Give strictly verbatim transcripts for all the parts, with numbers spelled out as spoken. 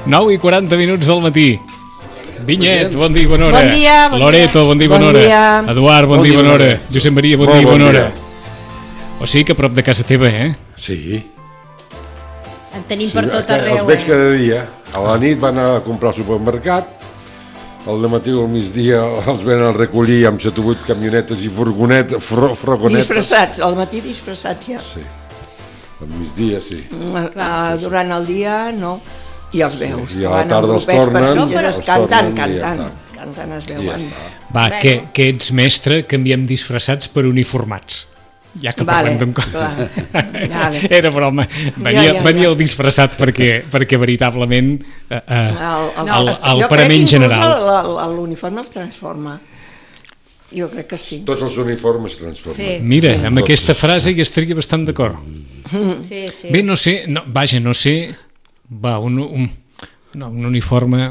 nou i quaranta minuts del matí. Vinyet, bon dia i bona hora. Bon dia, bon Loreto, bon dia i bona bon hora. Dia. Eduard, bon, bon dia i bona hora. Josep Maria, bon, bon dia i bona hora. O sigui que a prop de casa teva, eh? Sí. En tenim sí, per tot arreu. Els veig cada dia. A la nit van a comprar al supermercat, al matí o al migdia els venen a recollir amb set o vuit camionetes i furgonetes, fro, furgonetes. Disfressats, al matí disfressats ja. Sí, al migdia sí. Uh, durant el dia no. I els veus, sí, i a la tarda els tornen, no, però els cantant, cantant, cantant es veuen. Va, que, que ets mestre, canviem disfressats per uniformats. Ja que vale, parlem d'un cosa. Vale. Era broma. Venia, ja, ja, venia el disfressat perquè, perquè veritablement eh, eh, el, el, el, el parament general. L'uniforme els transforma. Jo crec que sí. Tots els uniformes transformen. Sí. Mira, sí. amb Tots. Aquesta frase hi estaria bastant d'acord. Sí, sí. Bé, no sé, no, vaja, no sé... Va, un, un, no, un uniforme...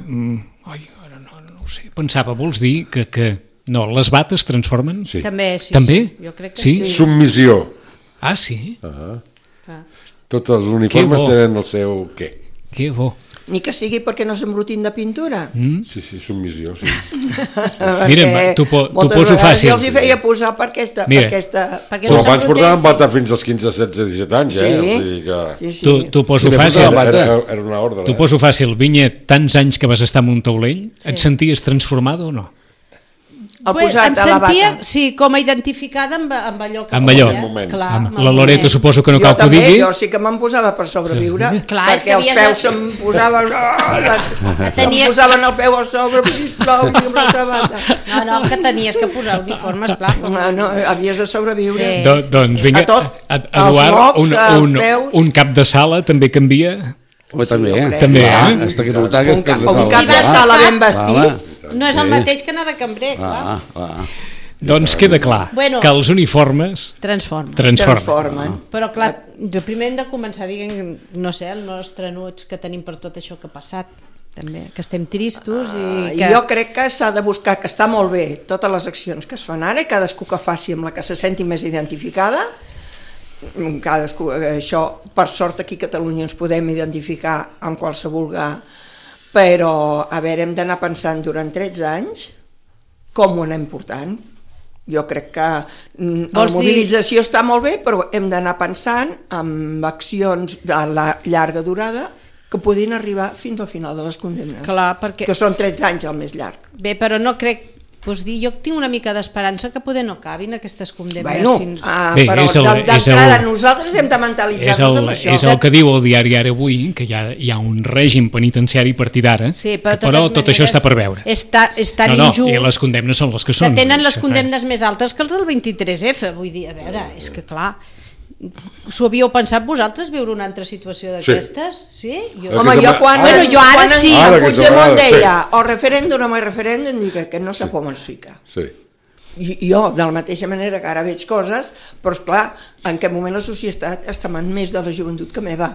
Ai, ara no, no ho sé. Pensava, vols dir que... que no, les bates transformen? Sí. També, sí. També? Sí. Jo crec que sí. sí. Submissió. Ah, sí? Uh -huh. Tots els uniformes tenen el seu què. Que bo. Ni que sigui perquè no s'embrutin de pintura. Mm? Sí, sí, submissió, sí. Mira, t'ho po, poso fàcil. Jo els hi feia posar per aquesta... Mira, per aquesta... perquè no abans portaven bata fins als quinze, setze, disset anys, sí. eh? O sigui que... Sí, sí. T'ho poso sí, fàcil. Era, era una ordre. T'ho poso fàcil. Vinyet, tants anys que vas estar en un taulell, sí. Et senties transformada o no? El posat em a la sentia, bata. sí, com a identificada amb, amb allò que amb allò. feia. Clar, amb la Loreto suposo que no cal que ho digui. Jo sí que me'n posava per sobreviure, sí. Clar, perquè els peus se'm posaven... Oh, se'm posaven el peu a sobre, sisplau, i amb la sabata. No, no, que tenies que posar uniformes, clar. No, no, havies de sobreviure. Sí. Do, doncs vinga, a tot, Eduard, un, un, un cap de sala també canvia... Oh, també, eh? També, eh? Està que notar que és cap de sala. Un cap de sala ben vestit. No és el mateix que anar de cambrer, clar. Ah, ah. Doncs queda clar bueno, que els uniformes transformen. transformen. transformen. Però clar, jo primer hem de començar dient, no sé, el nostre enuig que tenim per tot això que ha passat, també, que estem tristos i que... Jo crec que s'ha de buscar, que està molt bé totes les accions que es fan ara i cadascú que faci amb la que se senti més identificada. Cadascú, això, per sort aquí a Catalunya ens podem identificar amb qualsevol gà, però a veure, hem d'anar pensant durant tretze anys com ho anem portant. Jo crec que la mobilització dir... està molt bé, però hem d'anar pensant en accions de la llarga durada que podin arribar fins al final de les condemnes. Clar, perquè... Que són tretze anys el més llarg. Bé, però no crec... Pues dir, jo tinc una mica d'esperança que poder no acabin aquestes condemnes. Bueno, fins... ah, Bé, però d'entrada nosaltres hem de mentalitzar-nos amb això. És el que diu el diari Ara Avui, que hi ha, hi ha un règim penitenciari a partir d'ara, sí, però, però tot això està per veure. Està, és tan no, no, injust. I les condemnes són les que són. Que tenen les condemnes més altes que els del vint-i-tres efa. Vull dir, a veure, és que clar... S'ho havíeu pensat vosaltres, viure una altra situació d'aquestes? Sí. sí? Jo... Home, jo quan, bueno, jo ara quan sí. Ara Puigdemont deia o referèndum o no referèndum, dic que no sap on ens fica. Sí. I jo, de la mateixa manera que ara veig coses, però esclar, en què moment la societat està en més de la joventut que meva.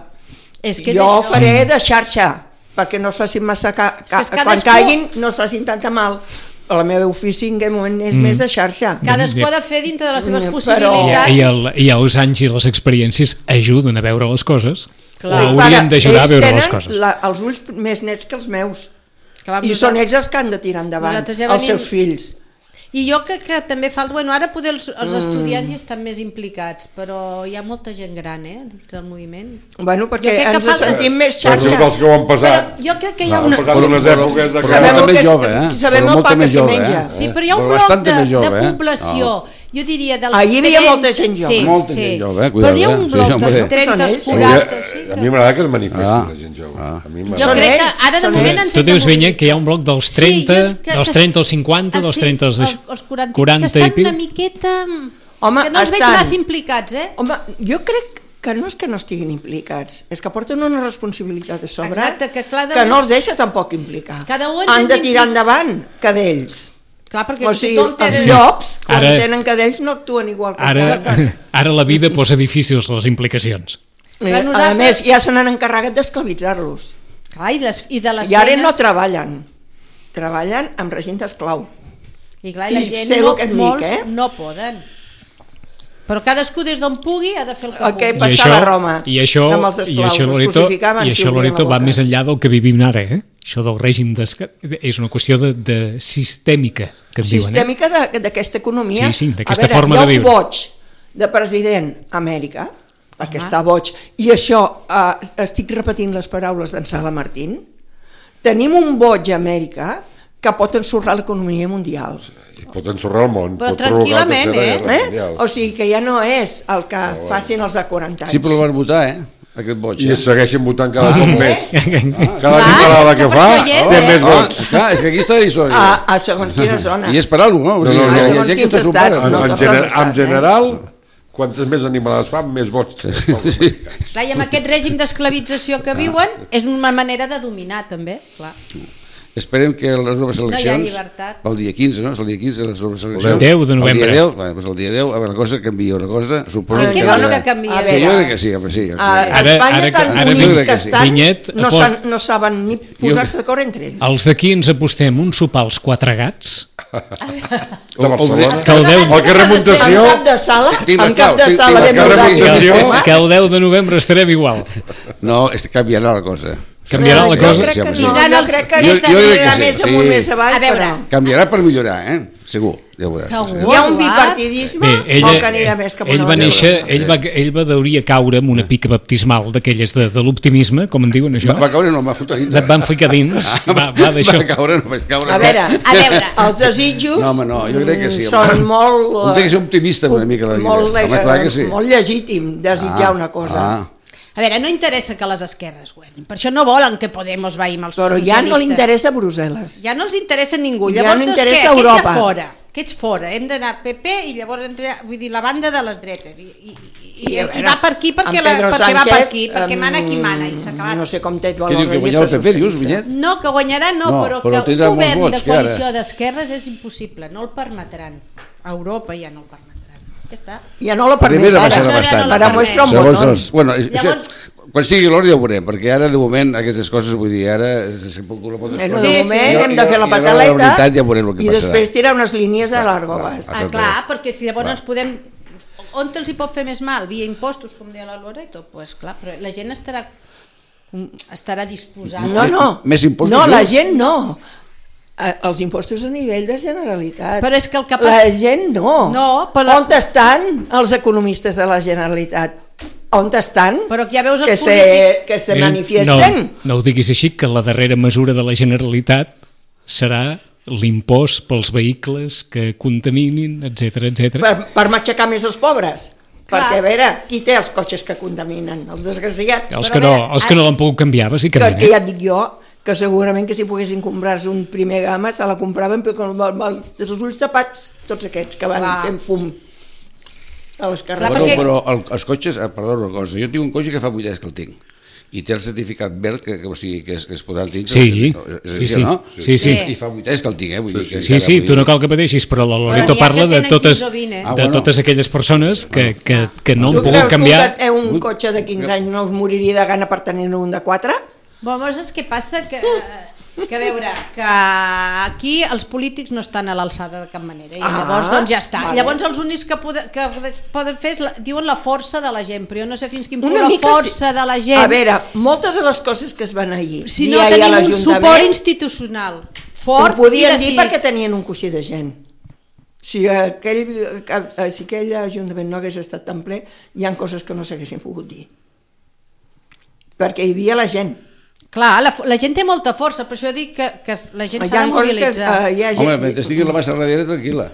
És que jo això... faré de xarxa, perquè no es facin massa... Ca... Ca... És que quan cadascú... caiguin no es facin tanta mal. El meu ofici en aquest moment és mm. més de xarxa. Cadascú ha de fer dintre de les seves però... possibilitats. I, el, I els anys i les experiències ajuden a veure les coses. Clar. O haurien d'ajudar a veure les coses. Ells tenen la, els ulls més nets que els meus. Clar, I són ells els que han de tirar endavant, ja venim... els seus fills. I jo crec que també falta... Bueno, ara poder els, els estudiants hi estan més implicats, però hi ha molta gent gran, eh, dins el moviment. Bueno, perquè ens falta... sentim més xarxa. Però els que ho han passat. Però jo crec que hi ha no, una... Han passat unes èpoques de... Sabem el que jove, eh? Sabem el pa que se menja. Eh? Sí, però hi ha un bloc de, de població... Jo diria dels... Ah, hi havia trenta... molta gent jove. Sí, molta sí. gent jove, eh? Cuidado, però hi ha un bloc sí, dels trenta, quaranta... A mi m'agrada que es manifesti ah. la gent jove. Ah. A mi jo crec que ara de moment ens... Tu dius, Vinyet, que hi ha un bloc dels trenta, sí, dels trenta als cinquanta, dels trenta als quaranta i pic. Que estan una miqueta... Home, que no els estan... veig massa implicats, eh? Home, jo crec que no és que no estiguin implicats, és que porten una responsabilitat a sobre. Exacte, que, clar, de... que no els deixa tampoc implicar. Cada un han de tirar endavant cadells. Clar, perquè o sigui, té... els llops, quan ara, tenen cadells, no actuen igual que ara, ara la vida posa difícils les implicacions. Clar, nosaltres... A més, ja se n'han encarregat d'esclavitzar-los. Clar, i, les, i de les I ara feines... no treballen. Treballen amb regent esclau. I clar, i la I gent, sé no, el que et molts dic, eh? no poden. Però cadascú des d'on pugui ha de fer el que El que pugui. passava a Roma, i això, amb els i esclaus, això, els Loreto, crucificaven, i s'hi això obrien Loreto, la va boca. més enllà del que vivim ara, eh? Això del règim d'esquerra és una qüestió de, de sistèmica, que en diuen, eh? Sistèmica de- d'aquesta economia. Sí, sí, d'aquesta A veure, forma de viure. Hi ha un boig de president a Amèrica, perquè Home. està boig, i això, eh, estic repetint les paraules d'en Sala Martín, tenim un boig a Amèrica que pot ensorrar l'economia mundial. I pot ensorrar el món. Però pot provocar la tranquil·lament, tercera eh? guerra Eh? mundial. O sigui que ja no és el que facin els de quaranta anys. Sí, però el van votar, eh? Aquest boig. I Eh? es segueixen votant cada cop més. Cada Clar, diputada que és que fa per això hi és, té eh? més Ah, vots. clar, és que aquí està la història. A, a segons quines zones. I és per alguna cosa, no? O sigui, No, no, no. hi ha Segons gent que quins està estats, sopada. En, no en, tots gener, els estats, en eh? general, quantes més animalades fan, més vots té. Clar, i amb aquest règim d'esclavització que viuen, és una manera de dominar, també. Clar. Esperem que les noves No hi ha eleccions... llibertat. El dia quinze, no? És el dia quinze, les noves eleccions. deu de novembre. El dia deu, bueno, doncs el dia deu, a veure, la cosa canvia una cosa, suposo Ah, que... què vols que canviï? A Sí, veure, jo crec que sí, home, sí. A, a Ara- Espanya, ara que- tan ara units Vinyet- que estan, Vinyet no, pot- san, no saben ni posar-se d'acord entre ells. Els d'aquí ens apostem un sopar als quatre gats, De Barcelona. que el deu, El carrer Muntació, En cap de sala, Tinc en les cap de claus, sala tinc ben les brodat. claus. que el deu de novembre estarem igual. No, és, canviarà la cosa. Canviarà la Jo cosa? crec Sí, que home, no, sí. jo crec que Jo- aquesta jo crec que anirà sí, més sí. amunt, més avall, A veure. però Canviarà per millorar, eh? Segur, ja ho veuràs. Segur. hi ha un Eduard. bipartidisme Bé, o ella, que anirà més cap a ell una va banda. néixer, ell va, ell va deuria caure amb una pica baptismal d'aquelles de, de l'optimisme, com en diuen això. Va, va caure, no, va fotre dins. Et van ficar dins, va, va d'això. Va caure, no vaig caure. A veure, A veure. els desitjos No, home, no, jo crec que sí, mm, home. són molt... Un té que ser optimista una mica la vida. Molt, Home, clar que sí. molt legítim desitjar una cosa. Ah, A veure, no interessa que les esquerres guanyin, per això no volen que Podemos vagi amb els Però ja no li socialistes. interessa Brussel·les. Ja no els interessa ningú. Ja Llavors, no doncs, interessa què? Aquests Europa. a fora. Aquests fora. Hem d'anar P P i llavors, ens- vull dir, la banda de les dretes. I, i, i, I, i a qui veure, va per aquí perquè, en la, Pedro perquè va per Sánchez, aquí, perquè mana qui mana i s'ha em, acabat. No sé com té què diu, que guanyava el P P, dius, Vinyet? No, que guanyarà no, No, però, però que tindrà un molts govern vots, de que ara- coalició d'esquerres és impossible, no el permetran. A Europa ja no el permetran. Ja està. Ja no la Primer permès de ara. baixar Això ja bastant. no la Para permet. muestra un Segons botón. els, bueno, això, Llavors- quan sigui l'hora ja ho veurem, perquè ara de moment aquestes coses, vull dir, ara se, se pot la pot Eh, no, Sí, de sí. moment Jo- hem de fer la i a l'hora de pataleta la veritat ja veurem el que i passarà. després tirar unes línies de largo clar. abast. Ah, clar, perquè si llavors ens podem... On els hi pot fer més mal? Via impostos, com deia la Loreto? Pues clar, però la gent estarà, estarà disposada. No, no. Més impostos, No, no? la gent no. Eh, Els impostos a nivell de Generalitat. Però és que el que La passa... gent no. No, però la- On estan els economistes de la Generalitat? On estan? Però ja veus els que se, polítics- que se Eh, manifiesten. No, no ho diguis així, que la darrera mesura de la Generalitat serà l'impost pels vehicles que contaminin, etc etc. Per, per matxacar més els pobres. Clar. Perquè, a veure, qui té els cotxes que contaminen? Els desgraciats. Els Però que a no, veure, els que no l'han pogut canviar, que, bàsicament. que Eh? ja et dic jo, que segurament que si poguessin comprar-se un primer gamma se la compraven però amb, amb, amb els ulls tapats, tots aquests que van Clar. fent fum a les Clar, Bueno, perquè- però el, els cotxes, eh, perdó una cosa, jo tinc un cotxe que fa vuit anys que el tinc i té el certificat verd que, que, o sigui, que es, que es podrà dir Sí, és sí, així, sí. no? Sí, sí. I fa vuit anys que el tinc, eh? Vull dir que Sí, encara, sí, vull tu no dir- cal que pateixis, però la Loreto n'hi ha parla que de tenen totes, quinze o vint, eh? Ah, de bueno. totes aquelles persones que, que, que no Tu han creus pogut que canviar. un, un cotxe de quinze anys no us moriria de gana per tenir un de quatre? Bueno, saps què passa? Que, que a veure, que aquí els polítics no estan a l'alçada de cap manera i Ah, llavors doncs ja està. vale. Llavors els únics que, poden, que poden fer és la, diuen la força de la gent, però jo no sé fins quin punt Una la mica força sí. de la gent... A veure, moltes de les coses que es van allí si dir no ahir a tenim un l'Ajuntament, suport institucional ho fort podien i dir decidit. perquè tenien un coixí de gent. Si aquell, si aquell Ajuntament no hagués estat tan ple, hi ha coses que no s'haguessin pogut dir. Perquè hi havia la gent. Clar, la, la gent té molta força, per això dic que, que la gent Hi s'ha ha de coses que mobilitzar. eh, hi ha gent... Home, mentre estigui la massa darrere, tranquil·la.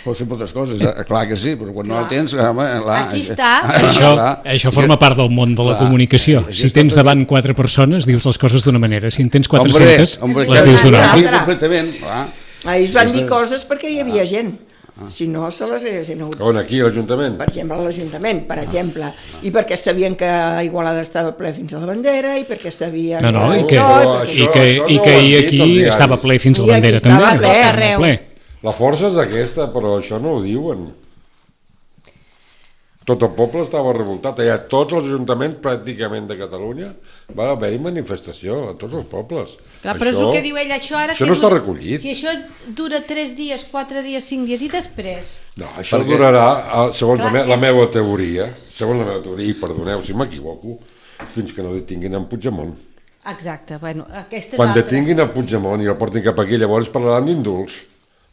Pot ser moltes coses, eh? Clar que sí, però quan no la tens... Home, la, Aquí està. Això, clar. això forma part del món de la Clar, comunicació. això Si està tens tot- davant quatre persones, dius les coses d'una manera. Si en tens Hombre, quatre-centes, hombre, les que- dius d'una que altra. sí, altra. completament, clar. Ahir es van dir coses perquè hi havia gent. Si no, se les haguessin hagut. On, aquí, a l'Ajuntament? Per exemple, a l'Ajuntament, per exemple. I perquè sabien que Igualada estava ple fins a la bandera, i perquè sabien... No, no, i que, Això- i que, això i no que ho han ahir dit aquí els diaris. estava ple fins a I la aquí bandera estava també. ple. Estava Arreu. ple. La força és aquesta, però això no ho diuen. tot el poble estava revoltat. Allà tots els ajuntaments pràcticament de Catalunya va haver-hi manifestació a tots els pobles. Clar, però és el que diu ell, això ara... Això no està recollit. Si això dura tres dies, quatre dies, cinc dies i després... No, això Perquè... durarà, segons Clar, la, me la meva teoria, segons la meva teoria, i perdoneu si m'equivoco, fins que no detinguin en Puigdemont. Exacte, bueno, aquesta és Quan altra. detinguin en Puigdemont i el portin cap aquí, llavors parlaran d'indults.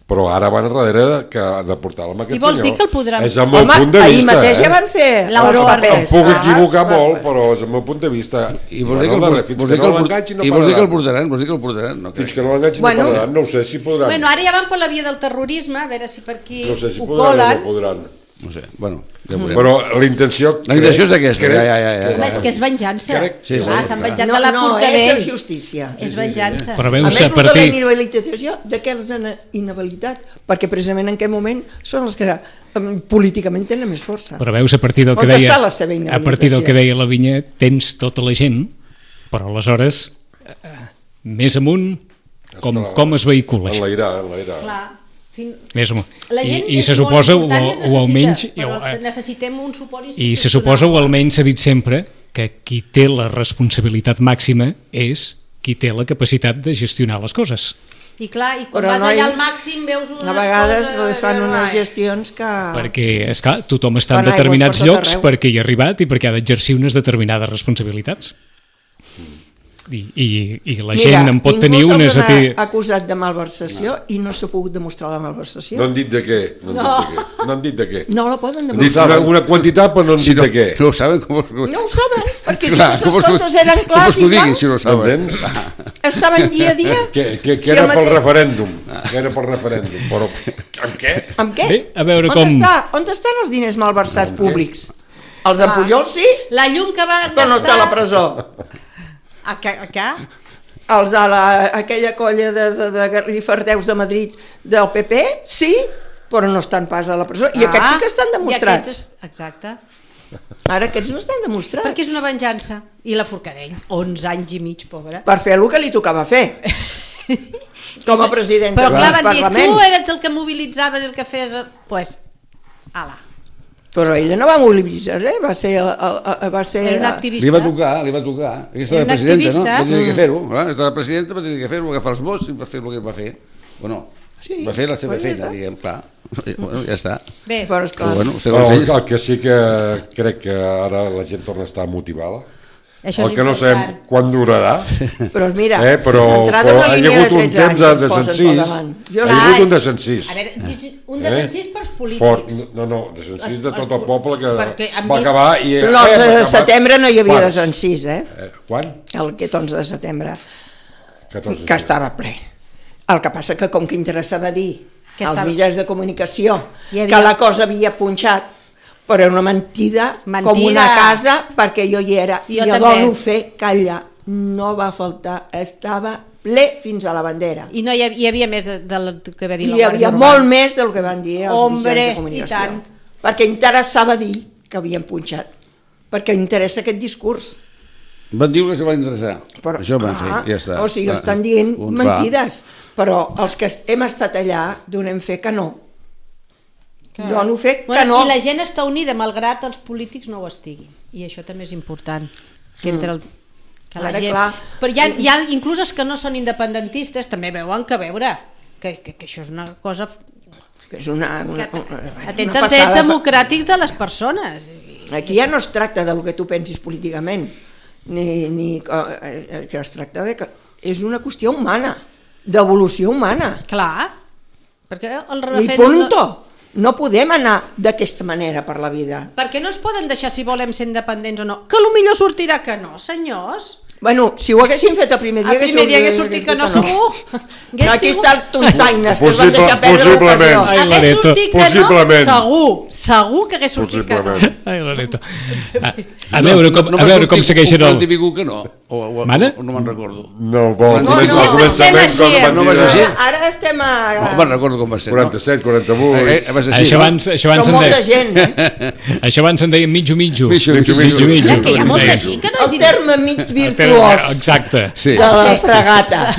Però ara van darrere que de portar-la amb aquest senyor. I vols senyor. dir que el podran... És el meu Home, punt de vista. ahir mateix eh? ja van fer els papers. Em puc equivocar ah, molt, però és el meu punt de vista. I vols dir que el, fins vols que no l'enganxin no i vols dir que el parlaran. portaran, vols dir que el portaran, no Fins que no l'enganxin Bueno. no parlaran, no ho sé si podran. Bueno, ara ja van per la via del terrorisme, a veure si per aquí No sé si ho podran o colen. no podran. No sé, bueno, ja veurem. Però la intenció... La intenció és aquesta, ja, ja, ja, ja. Home, és que és venjança. Crec- Sí, Clar, sí, s'han clar. venjat No, de la no, Forcadell. és justícia. És venjança. Però A veus, més, a els de la partir... inhabilitació, de què els han inhabilitat? Perquè precisament en aquest moment són els que em, políticament tenen més força. Però veus, a partir del que On deia... està la seva A partir del que deia la Vinya, tens tota la gent, però aleshores, eh, més amunt, com, com es vehicula això? Enlairar, enlairar. Clar. Fin... Més amunt. La I, gent i és se molt suposa, o, important i es o almenys... necessita, o, però eh, necessitem un suport I institucional. se suposa, o almenys s'ha dit sempre, que qui té la responsabilitat màxima és qui té la capacitat de gestionar les coses. I clar, i quan Però vas no hi- allà al màxim veus unes A vegades coses... les fan que, unes ai. gestions que... Perquè, esclar, tothom està en Fan aigües determinats per tot llocs arreu. perquè hi ha arribat i perquè ha d'exercir unes determinades responsabilitats. I, i, i la gent en pot tenir unes... Mira, A ningú ti... se'ls ha acusat de malversació no. i no s'ha pogut demostrar la malversació. No han dit de què. No han, No. dit, de què. No han dit de què. No la poden Han dit demostrar. una, una quantitat però no han Si dit no, de què. no ho saben, com, com, No ho saben, perquè si Clar, tots com els vols que- comptes eren com vols clars que ho i diguin, si no ho clars, saben? M'entens? estaven dia a dia. Que, que, que Si era el pel mateix- referèndum. Que era pel referèndum. Però amb què? Amb què? Bé, a veure on com- Està? On estan els diners malversats Amb què? públics? Els de Pujol sí, La llum que va però no està a la presó. A què? A què? Els de la, aquella colla de, de, de Garrifardeus de Madrid del P P sí, però no estan pas a la presó. I aquests sí que estan Ah, i demostrats. aquests- Exacte. Ara aquests no estan demostrats. Perquè és una venjança. I la Forcadell, onze anys i mig, pobra. Per fer el que li tocava fer. Com a president Però del clar, van dir, Parlament. tu eres el que mobilitzaves, el que fes... Pues, ala. Però ella no va mobilitzar, eh? Va ser... El, el, el, va ser Era un Li activista. va tocar, li va tocar. Aquesta Era era la un presidenta, no? activista. Va tenir que fer-ho. clar, Està la presidenta, va tenir que fer-ho, agafar els vots i va fer el que va fer. O no? Sí, Va fer la seva bueno, ja feina, està. diguem, clar. Bueno, ja està. Bé, Però esclar, Però bueno, Però segons el, ell... el que sí que crec que ara la gent torna a estar motivada. això El és que no sabem important. quan durarà. però mira, Eh, però, d'entrada però una ha hi línia hagut de un tretze temps anys ens de posen desencís. pel davant. Jo Hi ha Clar, hagut un és- desencís. A veure, dius un Eh? desencís pels polítics. Fort, no, no, desencís Els- de tot els- el poble que perquè han va vist- acabar i... eh, l'onze va de acabar setembre no hi havia fart. desencís, eh? Eh, quan? Aquest onze de setembre, catorze. que estava ple. El que passa que com que interessava dir Que als estava- mitjans de comunicació Hi havia- que la cosa havia punxat, però era una mentida, Mentida. com una casa, perquè jo hi era. Jo I a també. dono fer que allà no va faltar, estava ple fins a la bandera. I no hi havia, hi havia més de, del que va dir I la hi Guàrdia havia Urbana. molt més del que van dir els Hombre, mitjans de i comunicació. tant. Perquè interessava dir que havien punxat, perquè interessa aquest discurs. Van dir que se va interessar. Però, Això van ah, fer, ja està. O sigui, Va. estan dient Un, mentides, però els que hem estat allà donem fe que no. Clar. Dono fe que Bueno, no. I la gent està unida, malgrat els polítics no ho estiguin. I això també és important. Que entre el, que la Ara, gent... clar. Però hi ha, hi ha inclús els que no són independentistes també veuen que veure que, que, que això és una cosa... Que és una, una, Que, una, una atenta als passada. drets democràtics de les persones. Aquí ja no es tracta del que tu pensis políticament, ni, ni eh, que es tracta de que és una qüestió humana, d'evolució humana. Clar, perquè el I referèndum... punto. No podem anar d'aquesta manera per la vida. Perquè no ens poden deixar si volem ser independents o no. Que potser sortirà que no, senyors. Bueno, si ho haguessin fet el primer dia... El primer dia hagués sortit que no, segur. Hagués Aquí sigut- està el tontaines, que es van Possible- deixar perdre possiblement. l'ocasió. Ai, Hagués Loreto. sortit que no, Possiblement. segur, segur que hagués sortit que no. Possiblement. Ai, Loreto. A, a veure com, a veure com segueixen el... el... Un que no, o, o, Mare? o no me'n recordo. No, bo, No, comença- no, al començament, estem quan així, van no dir vas de així. Ara, ara estem a... No me'n recordo com va ser. quaranta-set, quaranta-vuit. No? Eh, eh, va ser així, Això no? abans, això abans Som en molta deia... gent, eh? Això abans en deia mitjo mitjo. Mitjo, mitjo, mitjo. Ja que hi ha molta gent que no El és terme mig El virtual virtuós. Exacte. Sí. De la fregata.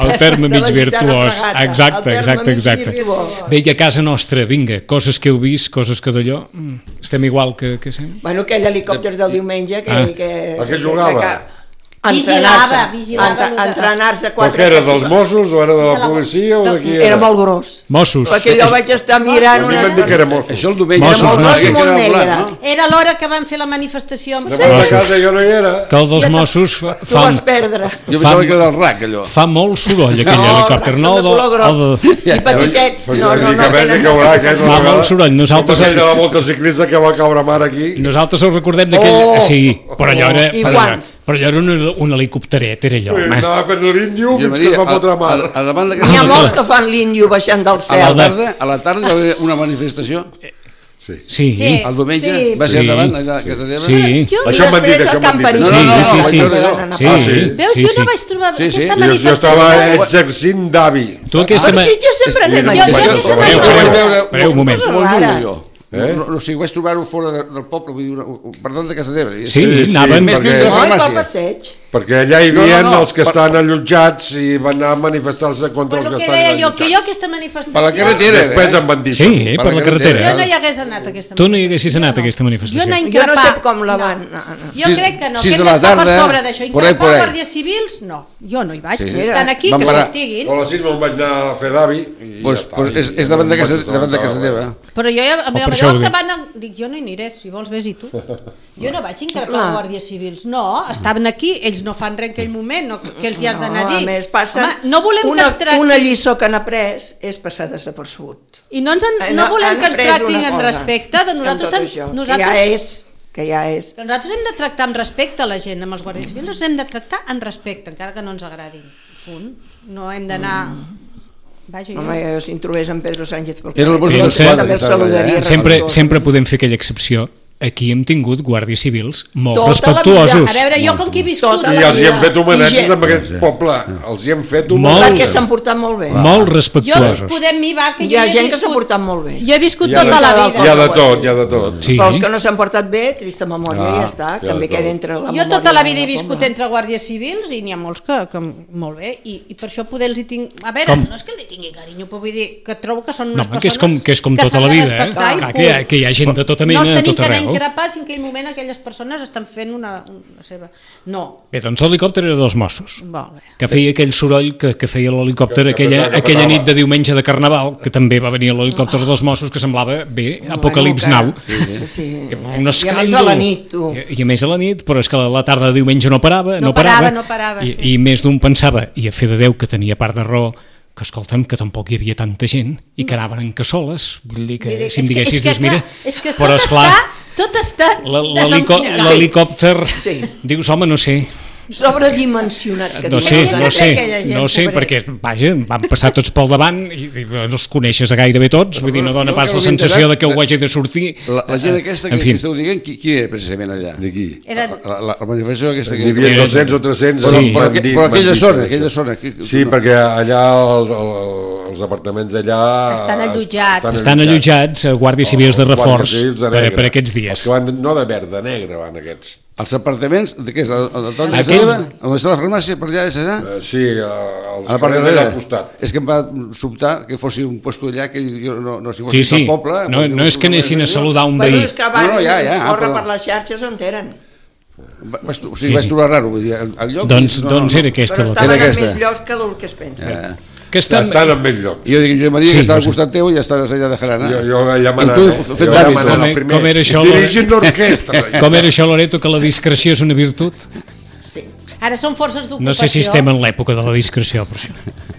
El terme De la mig gitana virtuós. fregata. Exacte, El terme exacte, mig exacte. virtuós. Bé, i a casa nostra, vinga, coses que heu vist, coses que d'allò, mm, estem igual que, que sempre. Bueno, aquell helicòpter del diumenge que... Ah. que, A què jugava? Que, que, Vigilava, vigilava Entre, lo de- entrenar-se Però quatre... què era, dels Mossos o era de la De la- policia o de qui Era era? molt gros. Mossos. Perquè jo vaig estar mirant A mi una... m'han dit que era Mossos. Això el diumenge Mossos, era molt no, gros sí. i que era Molt blanc, negre. no? Era l'hora que van fer la manifestació amb Davant de Mossos. casa jo no hi era. Que el dels Mossos fa, Tu fa, vas perdre. Jo pensava que era del R A C, allò. fa molt soroll, aquell No, helicòpter. són No, de color groc. el de, I petitets. Però No, jo no, dic no que vés tenen... que haurà aquest. Fa molt soroll. Nosaltres- Com aquell de la volta ciclista que va caure mar aquí. nosaltres ho recordem d'aquell... Oh! sí, però allò era, I però allò, guants. però allò era un, un helicòpteret, era allò, home. Anava fent l'índio Jo fins que Maria, es va a, fotre a, mar. a davant de N'hi ha casa molts que fan l'índio baixant del a la cel. tarda, a la tarda hi va haver una manifestació. Sí. Sí, Sí. El diumenge Sí. va ser Sí. davant allà a casa teva. sí. Jo, Això m'han dit, després això el m'han dit. Camperí. No, no, no, sí, vaig sí. veure jo. Sí, Ah, sí? Veus, sí, jo sí. no vaig trobar Sí, sí. aquesta Jo, jo manifestació. estava exercint d'avi. Tu aquesta... Per Sitges sempre anem Jo- a jo Sitges. aquesta jo- manifestació- jo vaig veure Espereu un moment. molt Rares. lluny, jo. Eh? No, no, o sigui, vaig trobar-ho fora de, del poble, vull dir, una, per dalt de casa teva. Sí, Sí, sí, anaven... Més perquè- lluny de la No, i pel farmàcia. passeig. Perquè allà hi No, havia no, no, els que per- estaven allotjats i van anar a manifestar-se contra Però els que que deia estaven jo, que jo allotjats. aquesta manifestació... Per la carretera. Després eh? em van dir... Sí, Per per la la Jo carretera. no hi hagués anat a aquesta Tu no hi haguessis anat a aquesta manifestació. Jo anar a Jo no increpar... sé com la van... No, no. Jo Sis- crec que no, sis que de hem la d'estar per tarda, sobre d'això. por ahí, por Increpar ahí. guàrdies civils, no. Jo no hi vaig. Sí, Si sí. estan aquí, Van que parar. s'estiguin. O a les sis me'n vaig anar a fer d'avi i Pues, ja està. pues és, I és davant de no em casa, vaig davant de casa assabentar, teva. Però jo ja, a mi, per a això ho que dic. van... a- Dic, jo no hi aniré, si vols vés i tu. Jo no vaig increpar Clar. guàrdies civils. No, estaven aquí, ells no fan res en aquell moment, no, que els hi has d'anar a No, dir. a més, passen... Home, no volem una, que es tracti... una lliçó que han après és passar desapercebut. I no, ens en, Han- no volem han que ens après tractin una en cosa respecte, de amb nosaltres, tot tam- això, que nosaltres, ja és, que ja és. però nosaltres hem de tractar amb respecte a la gent, amb els guàrdies civils els hem de tractar amb respecte, encara que no ens agradin. Punt. No hem d'anar... Vaja, jo... Home, jo, si em trobés en Pedro Sánchez pel Era el carrer, Bosc del també Cel. també el saludaria. Eh? Sempre, respectuós. sempre podem fer aquella excepció. Aquí hem tingut guàrdies civils molt Tota la respectuosos. A veure, jo com que he viscut... Tota I la els hi hem fet I homenatges gent- amb aquest poble. Els hi hem fet Molt. homenatges. Perquè s'han portat molt bé. Molt Jo respectuosos. podem mirar que Hi jo ha he gent que s'ha viscut... portat molt bé. Jo he viscut Hi ha tota de- la Hi vida. ha de tot, hi ha de tot. Sí. Però els que no s'han portat bé, trista memòria, Ah, ja està. ja També de queda tot. entre la Jo memòria. tota la vida he del viscut poble. entre guàrdies civils i n'hi ha molts que, que molt bé, i, i per això poder els hi tinc... A veure, Com? no és que li tingui carinyo, però vull dir que trobo que són No, unes home, que és persones com, que és com tota s'han la de vida, eh? respectar i Clar, que, hi ha, punt. que hi ha gent de tota No mena, els de tenim tot que anar a arreu. increpar si en aquell moment aquelles persones estan fent una, una seva... No, Bé, doncs l'helicòpter era dels Mossos, molt bé. que feia aquell soroll que, que feia l'helicòpter Que- que aquella, pensava que aquella passava. nit de diumenge de Carnaval, que també va venir l'helicòpter dels Mossos, que semblava, bé, Apocalips Now. Sí, sí. Un I a més escàndol. a la nit, tu. I, I a més a la nit, però és que la tarda de diumenge no parava, No no, parava, parava, no parava, i, sí. i més d'un pensava, i a fer de Déu que tenia part de raó, que escolta'm, que tampoc hi havia tanta gent i que anaven en cassoles, vull dir que Vull dir, si em és que- diguessis, és que, dius, mira, clar, és que però tot esclar, està, tot està la- l'helicò- desenfundat. l'helicòpter, Sí. dius, home, no sé, sobredimensionat. Que no diuen sé, els no altres. sé, aquella gent, no sé, pobret. perquè, vaja, van passar tots pel davant i, i no els coneixes a gairebé tots, vull dir, no dona Jo pas que la m'he sensació enterat de que ho de- hagi de sortir. La, la gent aquesta que, En fi. que esteu dient, qui, qui era precisament allà? De qui? Era... La, la, la manifestació aquesta que... Hi havia Era- dos-cents o tres-cents. Però, Sí. però, m'han aqu- dit- però m'han aquella dit zona, això. aquella zona... Que, Sí, perquè allà el, el, els apartaments allà... Estan allotjats. Estan allotjats a guàrdies civils de reforç Guàrdies civils de per, negre. per aquests Els dies. que van, de- no de verd, de negre van aquests. Els apartaments, de què és? El, el, el, el, Aquells- on està la farmàcia, per allà, és allà? Uh, sí, uh, els A la part de carrers allà darrere. al costat. És que em va sobtar que fossi un puesto allà que jo no, no si fos Sí, sí, al poble... no, no és que anessin a saludar un Bueno, veí. és que van No, no, ja, ja, córrer però- per les xarxes on eren. Va, vaig, o sigui, Sí, vaig sí. trobar raro, vull dir, el, el lloc... Doncs, doncs era aquesta Però la estaven Era en aquesta. més llocs que el que es pensa. Ja. que Ja estan, estan en més llocs. I jo dic, Josep Maria, Sí, que està no al sé. costat teu i ja estàs allà de Jarana. Jo, jo allà I manant. tu, eh? fent Jo allà d'hàbit, manant com el e- primer. com era això, Dirigint l'orquestra. com era això, Loreto, que la discreció és una virtut? Sí. Ara són forces d'ocupació. No sé si estem en l'època de la discreció, per això.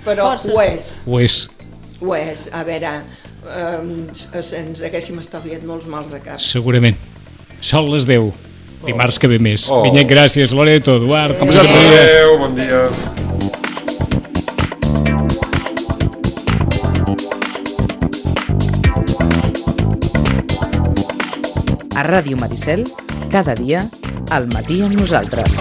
Però Forces. ho és, Ho és. ho és. A veure, eh, ens haguéssim estalviat molts mals de cap. Segurament. Sol les deu. Dimarts que ve més. Oh. Vinyet, gràcies, Loreto, Eduard. Com Josep Maria. Adéu, bon dia. A Ràdio Maricel, cada dia, al matí amb nosaltres.